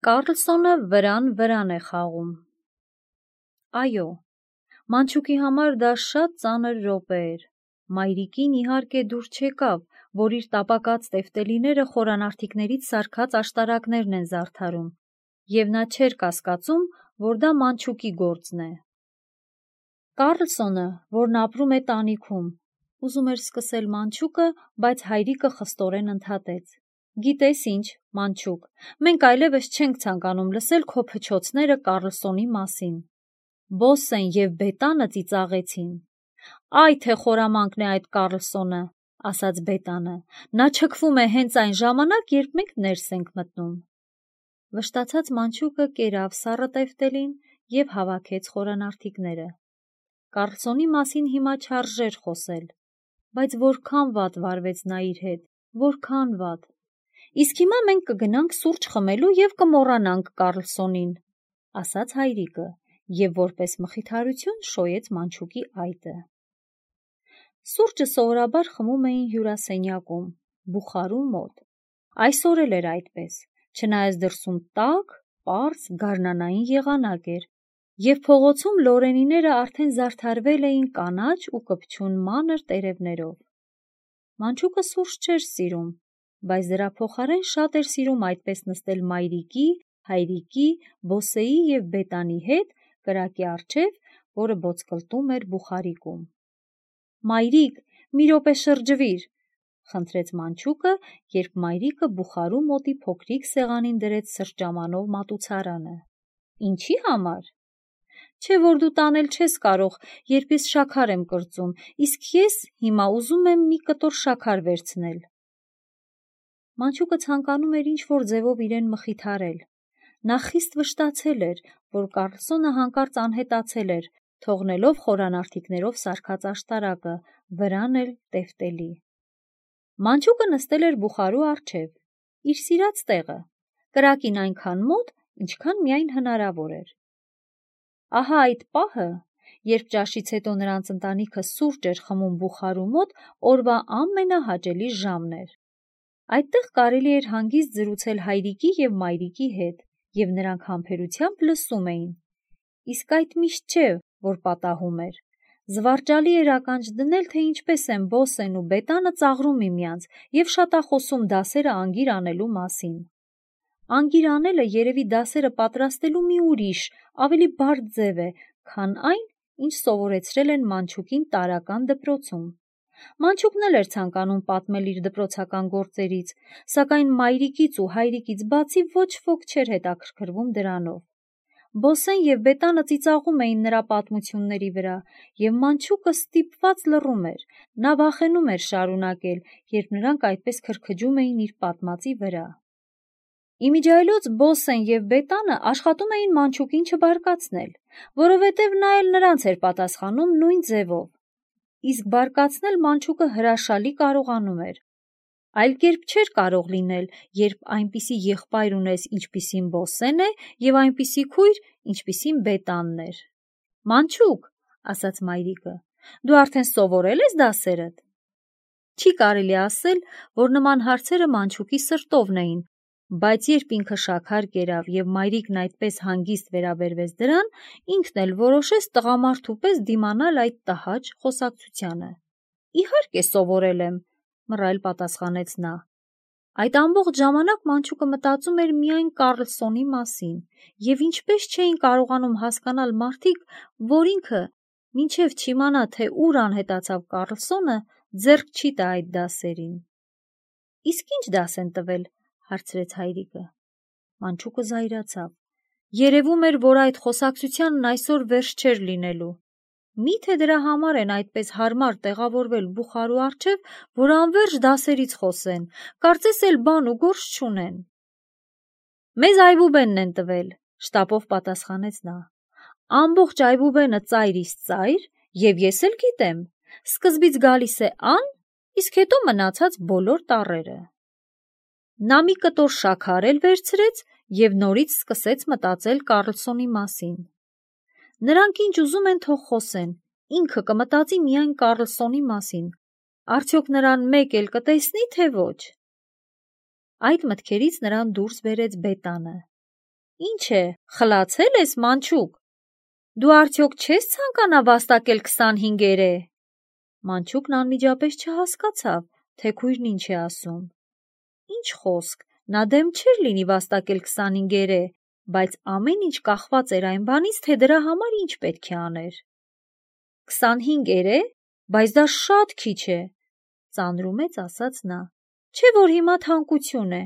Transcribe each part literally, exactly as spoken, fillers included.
Կառլսոնը վրան վրան է խաղում։ Այո, Մանչուկի համար դա շատ ծանր րոպե էր։ Մայրիկին իհարկե դուր չեկավ, որ իր տապակած տեֆտելիները խորանարդիկներից սարքած աշտարակներն են զարդարում, և նա չէր կասկածում, որ դա Մանչուկի գործն է։ Կառլսոնը, որն ապրում է տանիքում, ուզում էր սկսել Մանչուկը, բայց հայրիկը խստորեն ընդհատեց. Գիտես ինչ, Մանչուկ, մենք այլևս չենք ցանկանում լսել քո փչոցները Կառլսոնի մասին։ Բոսսեն և Բետանը ծիծաղեցին։ Այ թե խորամանկն է այդ Կառլսոնը, ասաց Բետանը, նա չքվում է հենց այն ժամանակ, երբ մենք ներս ենք մտնում։ Վշտացած Մանչուկը կերավ սառը տեֆտելին և հավաքեց խորանարդիկները։ Կառլսոնի մասին հիմա չարժեր խոսել, բայց որքան վատ վարվեց նա իր հետ, որքան վատ։ Իսկ հիմա մենք կգնանք սուրճ խմելու և կմոռանանք Կառլսոնին, ասաց հայրիկը, և որպես մխիթարություն շոյեց Մանչուկի այտը։ Սուրճը սովորաբար խմում էին հյուրասենյակում, բուխարու մոտ։ Այսօր էլ էր այդպես, չնայած դրսում տաք, պարզ, գարնանային եղանակ էր, և փողոցում լորենիները արդեն զարդարվել էին կանաչ ու կպչուն մանր տերևներով։ Մանչուկը սուրճ չէր սիրում, բայց դրա փոխարեն շատ էր սիրում այդպես նստել մայրիկի, հայրիկի, Բոսսեի և Բետանի հետ կրակի առջև, որը բոցկլտում էր բուխարիկում։ Մայրիկ, մի րոպե շրջվիր, խնդրեց Մանչուկը, երբ մայրիկը բուխարու մոտի փոքրիկ սեղանին դրեց սրճամանով մատուցարանը։ Ինչի համար։ Չէ՞ որ դու տանել չես կարող, երբ ես շաքար եմ կրծում, իսկ ես հիմա ուզում եմ մի կտոր շաքար վերցնել։ Մանչուկը ցանկանում էր ինչ-որ ձևով իրեն մխիթարել։ Նա խիստ վշտացել էր, որ Կառլսոնը հանկարծ անհետացել էր, թողնելով խորանարդիկներով սարքած աշտարակը, վրան էլ տեֆտելի։ Մանչուկը նստել էր բուխարու առջև, իր սիրած տեղը, կրակին այնքան մոտ, ինչքան միայն հնարավոր էր։ Ահա այդ պահը, երբ ճաշից հետո նրանց ընտանիքը սուրճ էր խմում բուխարու մոտ, օրվա ամենահաճելի ժամն էր։ Այդտեղ կարելի էր հանգիստ զրուցել հայրիկի և մայրիկի հետ, և նրանք համբերությամբ լսում էին։ Իսկ այդ միշտ չէ, որ պատահում էր։ Զվարճալի էր ականջ դնել, թե ինչպես են Բոսսեն ու Բետանը ծաղրում միմյանց և շատախոսում դասերը անգիր անելու մասին։ Անգիր անելը երևի դասերը պատրաստելու մի ուրիշ, ավելի բարդ ձև է, քան այն, ինչ սովորեցրել են Մանչուկին տարրական դպրոցում։ Մանչուկն էլ էր ցանկանում պատմել իր դպրոցական գործերից, սակայն մայրիկից ու հայրիկից բացի ոչ ոք չէր հետաքրքրվում դրանով։ Բոսսեն և Բետանը ծիծաղում էին նրա պատմությունների վրա, և Մանչուկը ստիպված լռում էր, նա վախենում էր շարունակել, երբ նրանք այդպես քրքջում էին իր պատմածի վրա։ Իմիջիայլոց Բոսսեն և Բետանը աշխատում էին Մանչուկին չբարկացնել, որովհետև նա էլ նրանց էր պատասխանում նույն ձևով։ Իսկ բարկացնել Մանչուկը հրաշալի կարողանում էր։ Այլ կերպ չէր կարող լինել, երբ այնպիսի եղբայր ունես, ինչպիսին Բոսսեն է, և այնպիսի քույր, ինչպիսին Բետանն էր։ Մանչուկ, ասաց մայրիկը, դու արդեն սովորել ես դասերդ։ Չի կարելի ասել, որ նման հարցերը Մանչուկի սրտովն էին, բայց երբ ինքը շաքար կերավ և մայրիկն այդպես հանգիստ վերաբերվեց դրան, ինքն էլ որոշեց տղամարդու պես դիմանալ այդ տհաճ խոսակցությանը։ Իհարկե սովորել եմ, մռայլ պատասխանեց նա։ Այդ ամբողջ ժամանակ Մանչուկը մտածում էր միայն Կառլսոնի մասին, և ինչպես չէին կարողանում հասկանալ մարդիկ, որ ինքը, մինչև չիմանա, թե ուր անհետացավ Կառլսոնը, ձեռք չի տա այդ դասերին։ Իսկ ի՞նչ դաս են տվել, հարցրեց հայրիկը։ Մանչուկը զայրացավ։ Երևում էր, որ այդ խոսակցությանն այսօր վերջ չէր լինելու։ Մի՞թե դրա համար են այդպես հարմար տեղավորվել բուխարու առջև, որ անվերջ դասերից խոսեն, կարծես էլ բան ու գործ չունեն։ Մեզ այբուբենն են տվել, շտապով պատասխանեց նա։ Ամբողջ այբուբենը ծայրից ծայր, և ես էլ գիտեմ, սկզբից գալիս է Ան, իսկ հետո մնացած բոլոր տառերը։ Նա մի կտոր շաքար էլ վերցրեց և նորից սկսեց մտածել Կառլսոնի մասին։ Նրանք ինչ ուզում են թող խոսեն, ինքը կմտածի միայն Կառլսոնի մասին, արդյոք նրան մեկ էլ կտեսնի, թե ոչ։ Այդ մտքերից նրան դուրս բերեց Բետանը։ Ինչ է, խլացել ես, մանչուկ։ Դու արդյոք չես ցանկանա վաստակել քսանհինգերե։ Մանչուկն անմիջապես չհասկացավ, թե քույրն ինչ է ասում։ Ինչ խոսք, նա դեմ չէր լինի վաստակել քսանհինգերե, բայց ամեն ինչ կախված էր այն բանից, թե դրա համար ինչ պետք է աներ։ Քսանհինգերե, բայց դա շատ քիչ է, ծանրումեց ասաց նա։ Չէ՞ որ հիմա թանկություն է։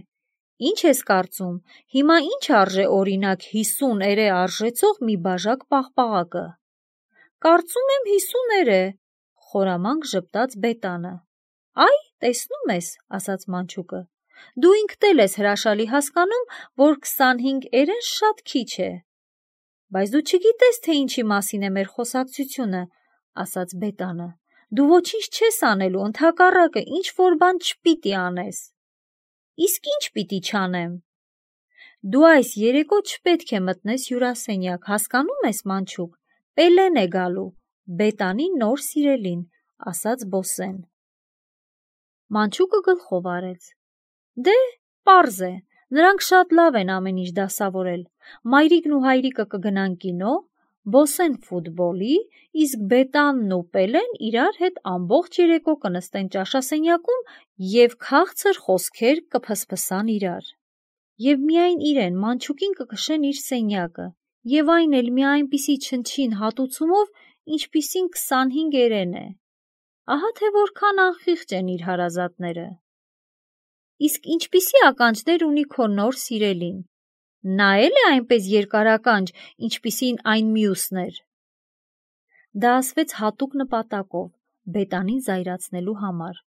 Ինչ ես կարծում, հիմա ինչ արժե օրինակ հիսուն էրե արժեցող մի բաժակ պաղպաղակը։ Կարծում եմ հիսուն էրե, խորամանկ ժպտաց Բետանը։ Այ, տեսնում ես, ասաց մանչուկը, դու ինքդ էլ ես հրաշալի հասկանում, որ քսանհինգ էրեն շատ քիչ է։ Բայց դու չգիտես, թե ինչի մասին է մեր խոսակցությունը, ասաց Բետանը։ Դու ոչինչ չես անելու, ընդհակառակը, ինչ որ բան չպիտի անես։ Իսկ ինչ պիտի չանեմ։ Դու այս երեկո չպետք է մտնես հյուրասենյակ, հասկանում ես, մանչուկ, Պելեն է գալու, Բետանի նոր սիրելին, ասաց Բոսեն։ Մանչուկը գլխով արեց։ Դե, պարզ է, նրանք շատ լավ են ամեն ինչ դասավորել։ Մայրիկն ու հայրիկը կգնան կինո, Բոսեն ֆուտբոլի, իսկ Բետանն ու Պելեն իրար հետ ամբողջ երեկո կնստեն ճաշասենյակում և քաղցր խոսքեր կփսփսան իրար։ Եվ միայն իրեն, մանչուկին կքշեն իր սենյակը, և այն էլ մի այնպիսի չնչին հատուցումով, ինչպիսին քսանհինգ էրեն է։ Ահա թե որքան անխիղճ են իր հարազատները։ Իսկ ինչպիսի ականջներ ունի քո նոր սիրելին։ Նա էլ է այնպես երկարականջ, ինչպիսին այն մյուսն էր։ Դա ասվեց հատուկ նպատակով, Բետանին զայրացնելու համար։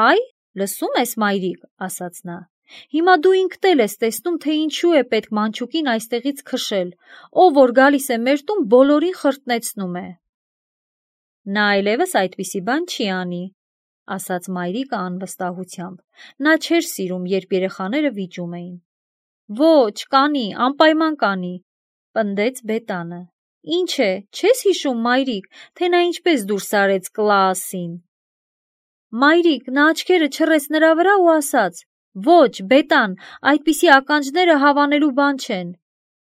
Այ, լսում ես, մայրիկ, ասաց նա, հիմա դու ինքդ էլ ես տեսնում, թե ինչու է պետք մանչուկին այստեղից քշել, ով որ գալիս է մեր տուն, բոլորին խրտնեցնում է։ Նա այլևս այդպիսի բան չի անի, ասաց մայրիկը անվստահությամբ։ Նա չէր սիրում, երբ երեխաները վիճում էին։ Ոչ, կանի, անպայման կանի, պնդեց Բետանը։ Ինչ է, չես հիշում, մայրիկ, թե նա ինչպես դուրս արեց Կլաասին։ Մայրիկ, նա աչքերը չռեց նրա վրա ու ասաց. Ոչ, Բետան, այդպիսի ականջները հավանելու բան չեն։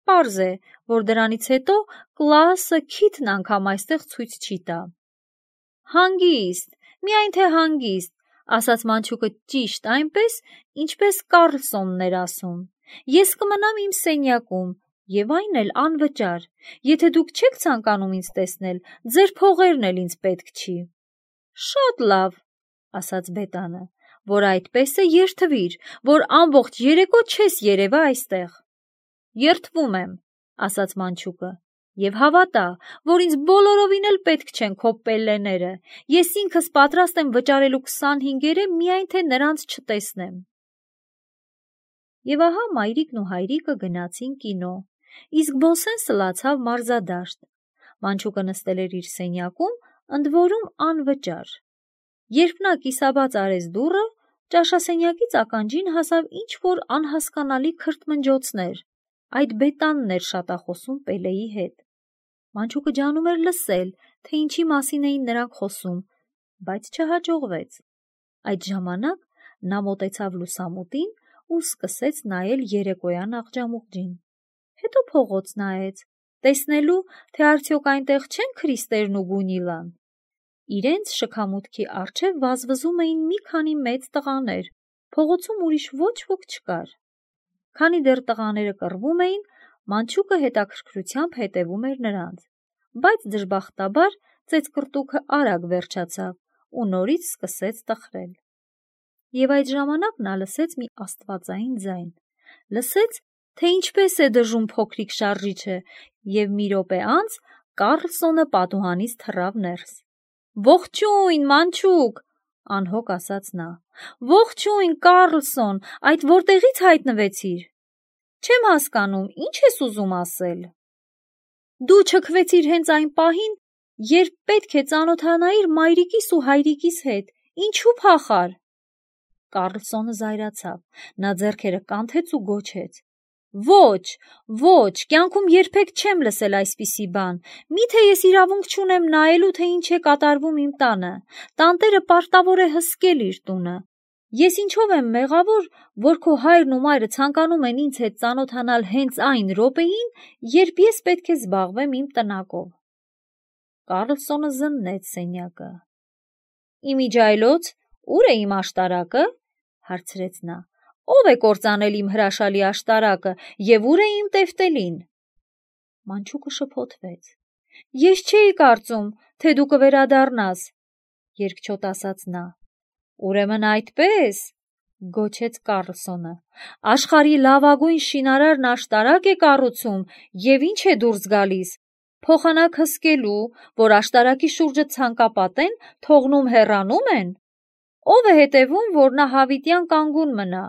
Պարզ է, որ դրանից հետո Կլաասը քիթն անգամ այստեղ ցույց չի տա։ Հանգիստ, միայն թե հանգիստ, ասաց մանչուկը ճիշտ այնպես, ինչպես Կառլսոնն էր ասում։ Ես կմնամ իմ սենյակում, և այն էլ անվճար։ Եթե դուք չեք ցանկանում ինձ տեսնել, ձեր փողերն էլ ինձ պետք չի։ Շատ լավ, ասաց Բետանը, որ այդպես է երդվիր, որ ամբողջ երեկո չես երևա այստեղ։ Երդվում եմ, ասաց մանչուկը, և հավատա, որ ինձ բոլորովին էլ պետք չեն քո Պելլեները, ես ինքս պատրաստ եմ վճարելու քսանհինգերե միայն թե նրանց չտեսնեմ։ Եվ ահա մայրիկն ու հայրիկը գնացին կինո, իսկ Բոսեն սլացավ մարզադաշտ։ Մանչուկը նստել էր իր սենյակում, ընդ որում անվճար։ Երբ նա կիսաբաց արեց դուռը, ճաշասենյակից ականջին հասավ ինչ-որ անհասկանալի քրթմնջոցներ։ Այդ Բետանն էր շատախոսում Պելեի հետ։ Մանչուկը ջանում էր լսել, թե ինչի մասին էին նրանք խոսում, բայց չհաջողվեց։ Այդ ժամանակ նա մոտեցավ լուսամուտին ու սկսեց նայել երեկոյան աղջամուղջին։ Հետո փողոց նայեց, տեսնելու, թե արդյոք այնտեղ չեն Քրիստերն ու Գունիլան։ Իրենց շքամուտքի առջև վազվզում էին մի քանի մեծ տղաներ, փողոցում ուրիշ ոչ ոք չկար։ Քանի դեռ տղաները կռվում էին, մանչուկը հետաքրքրությամբ հետևում էր նրանց, բայց դժբախտաբար ծեծկռտուքը արագ վերջացավ ու նորից սկսեց տխրել։ Եվ այդ ժամանակ նա լսեց մի աստվածային ձայն, լսեց, թե ինչպես է դժում փոքրիկ շարժիչը, և մի րոպե անց Կառլսոնը պատուհանից թռավ ներս։ Ողջույն, մանչուկ, անհոգ ասաց նա։ Ողջույն, Կառլսոն, այդ որտեղից հայտնվեցիր։ Չեմ հասկանում, ինչ ես ուզում ասել։ Դու չքվեցիր հենց այն պահին, երբ պետք է ծանոթանայիր մայրիկիս ու հայրիկիս հետ, ինչու փախար։ Կառլսոնը զայրացավ, նա ձեռքերը կանթեց ու գոչեց. Ոչ, ոչ, կյանքում երբեք չեմ լսել այսպիսի բան, միթե ես իրավունք չունեմ նայելու, թե ինչ է կատարվում իմ տանը, տանտերը պարտավոր է հսկել իր տունը, Ես ինչով եմ մեղավոր, որ քո հայրն ու մայրը ցանկանում են ինձ հետ ծանոթանալ հենց այն րոպեին, երբ ես պետք է զբաղվեմ իմ տնակով։ Կարլսոնը զննեց սենյակը։ Իմիջայլոց, ուր է իմ աշտարակը, հարցրեց նա։ Ո՞վ է կործանել իմ հրաշալի աշտարակը եւ ուր է իմ տեֆտելին։ Մանչուկը շփոթվեց։ Ես չէի կարծում, թե դու կվերադառնաս, երկչոտ ասաց նա։ Ուրեմն այդպես, գոչեց Կարլսոնը, աշխարհի լավագույն շինարարն աշտարակ է կառուցում եւ ինչ է դուրս գալիս, փոխանակ հսկելու, որ աշտարակի շուրջը ցանկապատեն, թողնում հեռանում են, ով է հետևում, որ նա հավիտյան կանգուն մնա,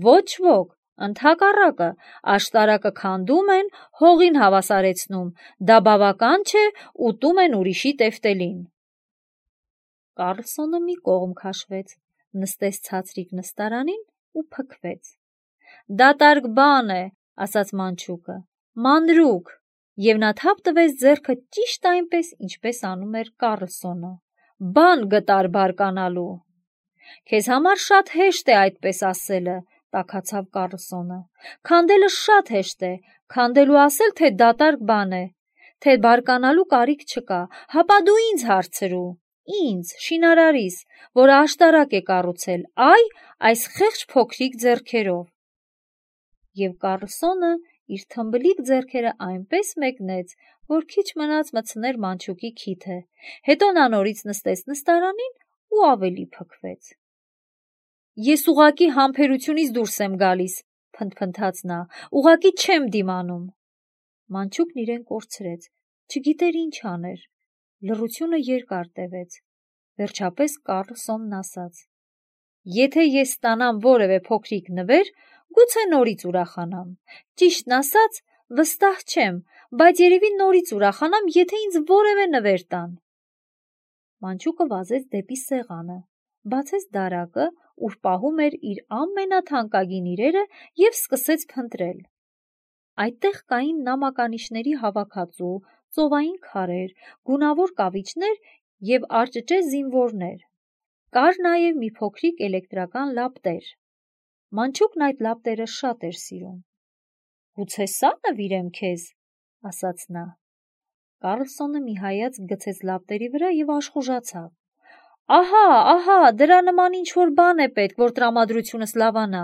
ոչ ոք, ընդհակառակը, աշտարակը քանդում են, հողին հավասարեցնում, դա բավական չէ, ուտում են ուրիշի տեֆտելին։ Կարլսոնը մի կողմ քաշվեց, նստեց ցածրիկ նստարանին ու փքվեց։ Դատարկ բան է, ասաց Մանչուկը, մանրուք, եւ նա թափ տվեց ձեռքը ճիշտ այնպես, ինչպես անում էր Կարլսոնը։ Բան գտար բարկանալու։ Քեզ համար շատ հեշտ է այդպես ասելը, տաքացավ Կարլսոնը։ Քանդելը շատ հեշտ է, քանդելու ասել, թե դատարկ բան է, թե բարկանալու կարիք չկա, հապա դու ինձ հարցրու։ Ինձ, շինարարիս, որ աշտարակ է կառուցել, այ, այս խեղճ փոքրիկ ձեռքերով։ Եվ Կարլսոնը իր թմբլիկ ձեռքերը այնպես մեկնեց, որ քիչ մնաց մտցներ Մանչուկի քիթը, հետո նա նորից նստեց նստարանին ու ավելի փքվեց։ Ես ուղակի համբերությունից դուրս եմ գալիս, փնթփնթաց նա, ուղակի չեմ դիմանում։ Մանչուկն իրեն կորցրեց, չգիտեր ինչ աներ։ Լռությունը երկար տևեց։ Վերջապես Կարլսոնն ասաց. Եթե ես ստանամ որևէ փոքրիկ նվեր, գուցե նորից ուրախանամ։ Ճիշտն ասած, վստահ չեմ, բայց երևի նորից ուրախանամ, եթե ինձ որևէ նվեր տան։ Մանչուկը վազեց դեպի սեղանը, բացեց դարակը, ուր պահում էր իր ամենաթանկագին իրերը եւ սկսեց փնտրել։ Այդտեղ կային նամականիշների հավաքածու, ծովային քարեր, գունավոր կավիճներ եւ արճճե զինվորներ։ Կար նաեւ մի փոքրիկ էլեկտրական լապտեր։ Մանչուկն այդ լապտերը շատ էր սիրում։ Գուցե սա նվիրեմ քեզ, ասաց նա։ Կարլսոնը մի հայացք գցեց լապտերի վրա եւ աշխուժացավ։ Ահա, ահա, դրա նման ինչ-որ բան է պետք, որ տրամադրությունս լավանա։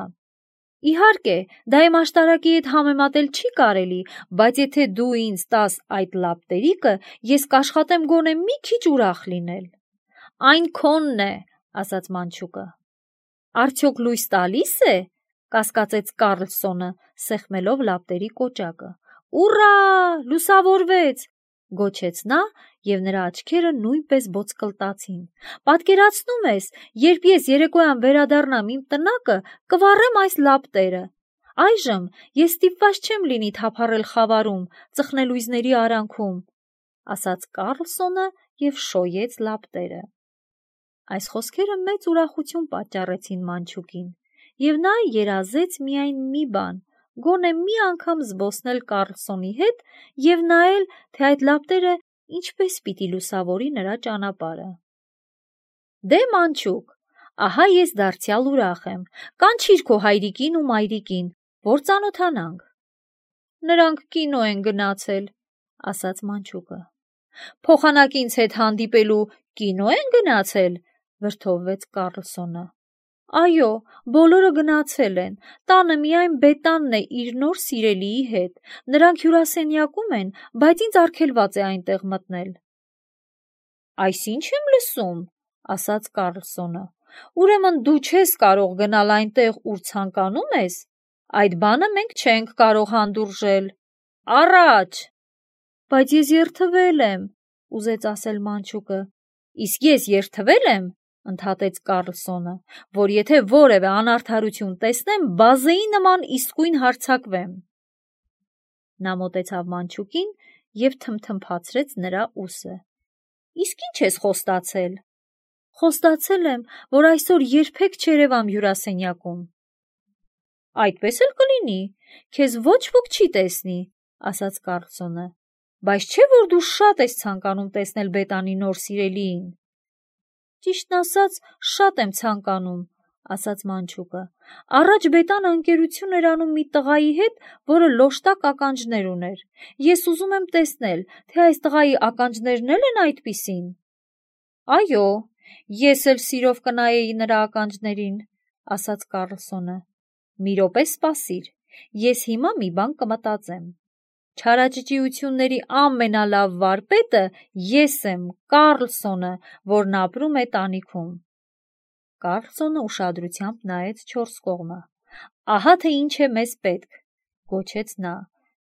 Իհարկե, դա իմ աշտարակի հետ համեմատել չի կարելի, բայց եթե դու ինձ տաս այդ լապտերիկը, ես կաշխատեմ գոնե մի քիչ ուրախ լինել։ Այն քոնն է, ասաց Մանչուկը։ Արդյոք լույս տալիս է, կասկածեց Կարլսոնը, սեղմելով լապտերի կոճակը։ Ուռա, լուսավորվեց, գոչեց նա, եւ նրա աչքերը նույնպես ոսկլտացին։ Պատկերացնում ես, երբ ես երեկոյան վերադառնամ իմ տնակը, կվառեմ այս լապտերը։ Այժմ ես ստիպված չեմ լինի թափառել խավարում, ծխնելույզների արանքում, ասաց Կարլսոնը եւ շոյեց լապտերը։ Այս խոսքերը մեծ ուրախություն պատճառեցին Մանչուկին, եւ նա երազեց միայն մի բան, գոնե մի անգամ զբոսնել Կարլսոնի հետ եւ նայել, թե այդ լապտերը ինչպես պիտի լուսավորի նրա ճանապարհը։ Դե Մանչուկ, ահա ես դարձյալ ուրախ եմ, կանչիր քո հայրիկին ու մայրիկին, որ ծանոթանանք։ Նրանք կինո են գնացել, ասաց Մանչուկը։ Փոխանակ ինձ հետ հանդիպելու կինո են գնացել, վրդովվեց Կարլսոնը։ Այո, բոլորը գնացել են, տանը միայն Բետանն է իր նոր սիրելիի հետ, նրանք հյուրասենյակում են, բայց ինձ արգելված է այնտեղ մտնել։ Այսինչ եմ լսում, ասաց Կարլսոնը, ուրեմն դու չես կարող գնալ այնտեղ, ուր ցանկանում ես, այդ բանը մենք չենք կարող հանդուրժել։ Առաջ։ Բայց ես երդվել եմ, ուզեց ասել Մանչուկը։ Իսկ ես երդվել եմ, ընդհատեց Կարլսոնը, որ եթե որևէ անարդարություն տեսնեմ, բազեի նման իսկույն հարձակվեմ։ Նա մոտեցավ Մանչուկին եւ թմթմփացրեց նրա ուսը։ Իսկ ինչ ես խոստացել։ Խոստացել եմ, որ այսօր երբեք չերևամ հյուրասենյակում։ Այդպես էլ կլինի, քեզ ոչ ոք չի տեսնի, ասաց Կարլսոնը, բայց չէ որ դու շատ ես ցանկանում տեսնել Բետանի նոր սիրելիին։ Ճիշտն ասած, շատ եմ ցանկանում, ասաց մանչուկը։ Առաջ Բետանը ընկերություն էր անում մի տղայի հետ, որը լոշտակ ականջներ ուներ։ Ես ուզում եմ տեսնել, թե այս տղայի ականջներն էլ են այդպիսին։ Այո, ես էլ սիրով կնայեի նրա ականջներին, ասաց Կառլսոնը։ Մի րոպե սպասիր, ես հիմա մի բան կմտածեմ։ Չարաճճիությունների ամենալավ վարպետը ես եմ, Կառլսոնը, որն ապրում է տանիքում։ Կառլսոնը ուշադրությամբ նայեց չորս կողմը։ Ահա թե ինչ է մեզ պետք, գոչեց նա,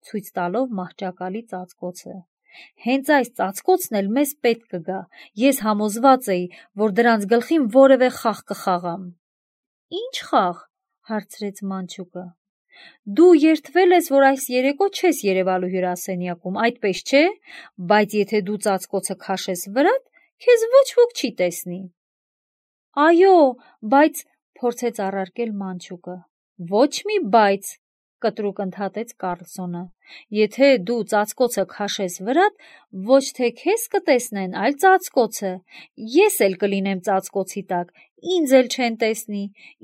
ցույց տալով մահճակալի ծածկոցը։ Հենց այս ծածկոցն էլ մեզ պետք կգա։ Ես համոզված էի, որ դրանց գլխին որևէ խաղ կխաղամ։ Ինչ խաղ, հարցրեց մանչուկը։ Դու երդվել ես, որ այս երեկո չես երևալու հյուրասենյակում, այդպես չէ, բայց եթե դու ծածկոցը քաշես վրատ, քեզ ոչ ոք չի տեսնի։ Այո, բայց, փորձեց առարկել մանչուկը։ Ոչ մի բայց, կտրուկ ընդհատեց Կառլսոնը։ Եթե դու ծածկոցը քաշես վրատ, ոչ թե քեզ կտեսնեն, այլ ծածկոցը։ Ես էլ կլինեմ ծածկոցի տակ, ինձ էլ չեն տեսնի։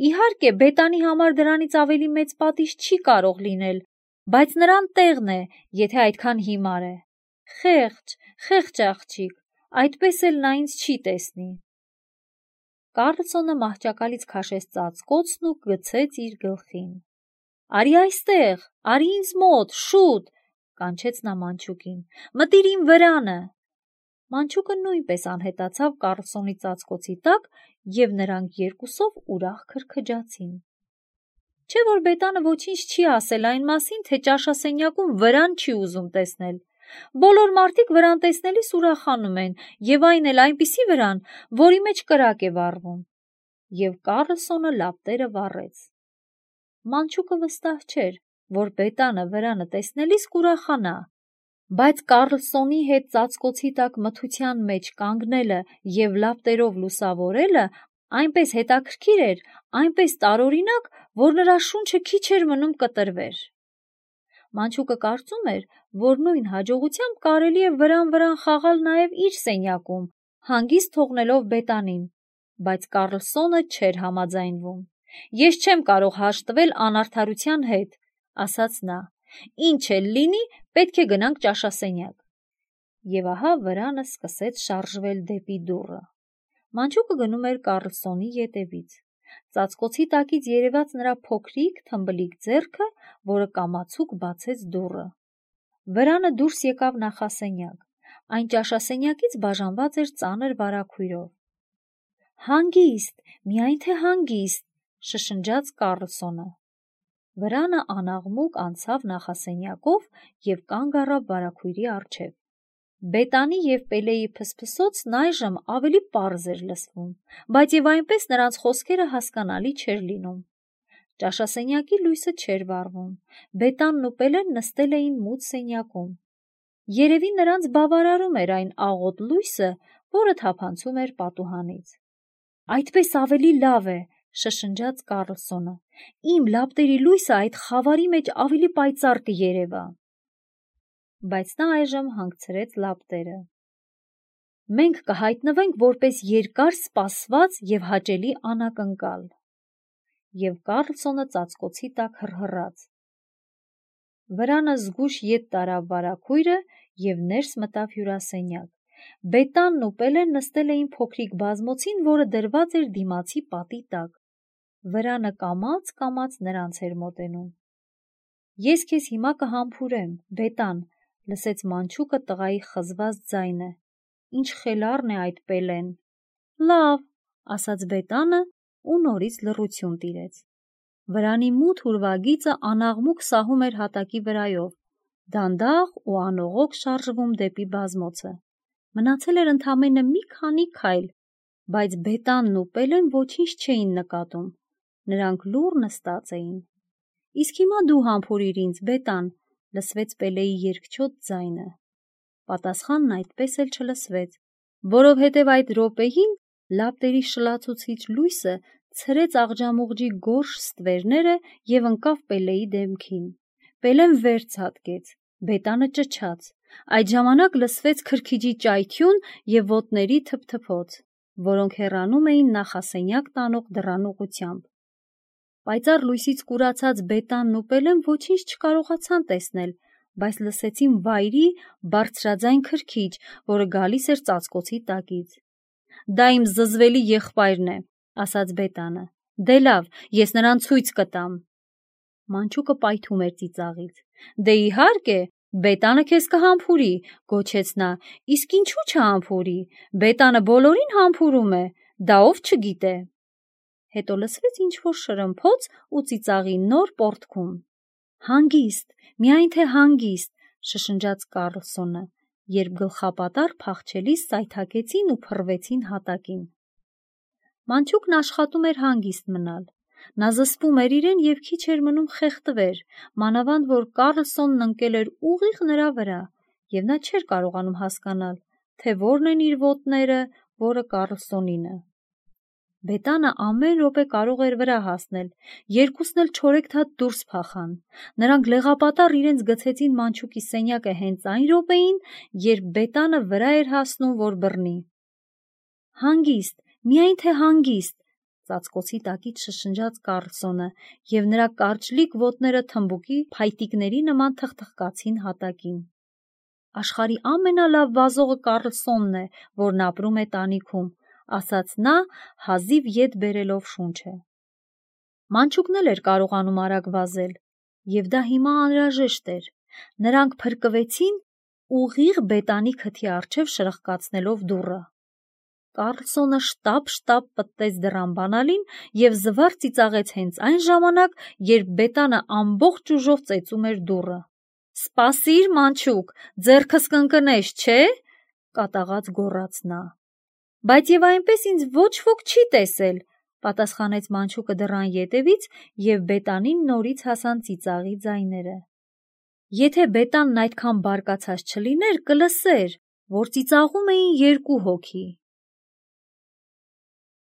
Իհարկե, Բետանի համար դրանից ավելի մեծ պատիժ չի կարող լինել, բայց նրան տեղն է, եթե այդքան հիմար է։ Խեղճ, խեղճ աղջիկ, այդպես էլ նա ինձ չի տեսնի։ Կառլսոնը մահճակալից քաշեց ծածկոցն ու գցեց իր գլխին։ Արի այստեղ, արի ինձ մոտ, շուտ, կանչեց նա մանչուկին։ Մտիր իմ վրանը։ Մանչուկը նույնպես անհետացավ Կառլսոնի ծածկոցի տակ, և նրանք երկուսով ուրախ քրքջացին։ Չէ՞ որ Բետանը ոչինչ չի ասել այն մասին, թե ճաշասենյակում վրան չի ուզում տեսնել։ Բոլոր մարդիկ վրան տեսնելիս ուրախանում են, և այն էլ այնպիսի վրան, որի մեջ կրակ է վառվում։ Եվ Կառլսոնը լապտերը վառեց։ Մանչուկը վստահ չէր, որ Բետանը վրանը տեսնելիս կուրախանա, բայց Կառլսոնի հետ ծածկոցի տակ մթության մեջ կանգնելը և լապտերով լուսավորելը այնպես հետաքրքիր էր, այնպես տարօրինակ, որ նրա շունչը քիչ էր մնում կտրվեր։ Մանչուկը կարծում էր, որ նույն հաջողությամբ կարելի է վրան-վրան խաղալ նաև իր սենյակում, հանգիստ թողնելով Բետանին, բայց Կառլսոնը չէր համաձայնվում։ Ես չեմ կարող հաշտվել անարդարության հետ, ասաց նա։ Ինչ էլ լինի, պետք է գնանք ճաշասենյակ։ Եվ ահա վրանը սկսեց շարժվել դեպի դուռը։ Մանչուկը գնում էր Կառլսոնի ետևից։ Ծածկոցի տակից երևաց նրա փոքրիկ, թմբլիկ ձեռքը, որը կամացուկ բացեց դուռը։ Վրանը դուրս եկավ նախասենյակ։ Այն ճաշասենյակից բաժանված էր ծանր վարագույրով։ Հանգիստ, միայն թե հանգիստ, շշնջաց Կառլսոնը։ Վրանը անաղմուկ անցավ նախասենյակով և կանգ առավ վարագույրի առջև։ Բետանի և Պելեի փսփսոցն այժմ ավելի պարզ էր լսվում, բայց և այնպես նրանց խոսքերը հասկանալի չէր լինում։ Ճաշասենյակի լույսը չէր վառվում։ Բետանն ու Պելեն նստել էին մութ սենյակում։ Երևի նրանց բավարարում էր այն աղոտ լույսը, որը թափանցում էր պատուհանից։ Այդպես ավելի լավ է, շշնջաց Կառլսոնը։ Իմ լապտերի լույսը այդ խավարի մեջ ավելի պայծառ կերևա։ Բայց նա այժմ հանգցրեց լապտերը։ Մենք կհայտնվենք որպես երկար սպասված և հաճելի անակնկալ։ Եվ Կառլսոնը ծածկոցի տակ հռհռաց։ Վրանը զգույշ ետ տարավ վարագույրը և ներս մտավ հյուրասենյակ։ Բետանն ու Պելեն նստել էին փոքրիկ բազմոցին, որը դրված էր դիմացի պատի տակ։ Վրանը կամաց-կամաց նրանց էր մոտենում։ Ես քեզ հիմա կհամբուրեմ, Բետան, լսեց մանչուկը տղայի խզված ձայնը։ Ինչ խելառն է այդ Պելեն։ Լավ, ասաց Բետանը ու նորից լռություն տիրեց։ Վրանի մութ ուրվագիծը անաղմուկ սահում էր հատակի վրայով, դանդաղ ու անողոք շարժվում դեպի բազմոցը։ Մնացել էր ընդամենը մի քանի քայլ, բայց Բետանն ու Պելեն ոչինչ չէին նկատում։ Նրանք լուռ նստած էին։ Իսկ հիմա դու համբուրիր ինձ, Բետան, լսվեց Պելեի երկչոտ ձայնը։ Պատասխանն այդպես էլ չլսվեց, որովհետև այդ րոպեին լապտերի շլացուցիչ լույսը ցրեց աղջամուղջի գորշ ստվերները և ընկավ Պելեի դեմքին։ Պելեն վեր ցատկեց, Բետանը ճչաց։ Այդ ժամանակ լսվեց քրքիջի ճայթյուն և ոտների թփթփոց, որոնք հեռանում էին նախասենյակ տանող դռան ուղղությամբ։ Պայծառ լույսից կուրացած Բետանն ու Պելեն ոչինչ չկարողացան տեսնել, բայց լսեցին վայրի բարձրաձայն քրքիջ, որը գալիս էր ծածկոցի տակից։ «Դա իմ զզվելի եղբայրն է», ասաց Բետանը։ «Դե լավ, ես նրան ցույց կտամ»։ Մանչուկը պայթում էր ծիծաղից։ «Դե իհարկե, Բետանը քեզ կհամբուրի», գոչեց նա։ «Իսկ ինչու չհամբուրի, Բետանը բոլորին համբուրում է, դա ով չգիտե»։ Հետո լսվեց ինչ-որ շրմփոց ու ծիծաղի նոր պոռթկում։ «Հանգիստ, միայն թե հանգիստ», շշնջաց Կարլսոնը, երբ գլխապատառ փախչելիս սայթաքեցին ու փռվեցին հատակին։ Մանչուկն աշխատում էր հանգիստ մնալ։ Նա զսպում էր իրեն և քիչ էր մնում խեղդվեր, մանավանդ որ Կարլսոնն ընկել էր ուղիղ նրա վրա, և նա չէր կարողանում հասկանալ, թե որն են իր ոտները, որը Կարլսոնինը։ Բետանը ամեն րոպե կարող էր վրա հասնել, երկուսն էլ չորեքթաթ դուրս փախան։ Նրանք լեղապատառ իրենց գցեցին մանչուկի սենյակը հենց այն րոպեին, երբ Բետանը վրա էր հասնում, որ բռնի։ «Հանգիստ, միայն թե հանգիստ», ծածկոցի տակից շշնջաց Կարլսոնը, և նրա կարճլիկ ոտները թմբուկի փայտիկների նման թխթխկացին հատակին։ «Աշխարհի ամենալավ վազողը Կարլսոնն է, որն ապրում է տանիքում», ասաց նա, հազիվ ետ բերելով շունչը։ Մանչուկն էլ էր կարողանում արագ վազել, և դա հիմա անհրաժեշտ էր։ Նրանք փրկվեցին ուղիղ Բետանի քթի առջև շրխկացնելով դուռը։ Կարլսոնը շտապ-շտապ պտտեց դռան բանալին և զվարթ ծիծաղեց հենց այն ժամանակ, երբ Բետանը ամբողջ ուժով ծեծում էր դուռը։ «Սպասիր, մանչուկ, ձեռքս կընկնես, չէ՞», կատաղած գոռաց նա։ «Բայց և այնպես ինձ ոչ ոք չի տեսել», պատասխանեց մանչուկը դռան ետևից, և Բետանին նորից հասան ծիծաղի ձայները։ Եթե Բետանն այդքան բարկացած չլիներ, կլսեր, որ ծիծաղում էին երկու հոգի։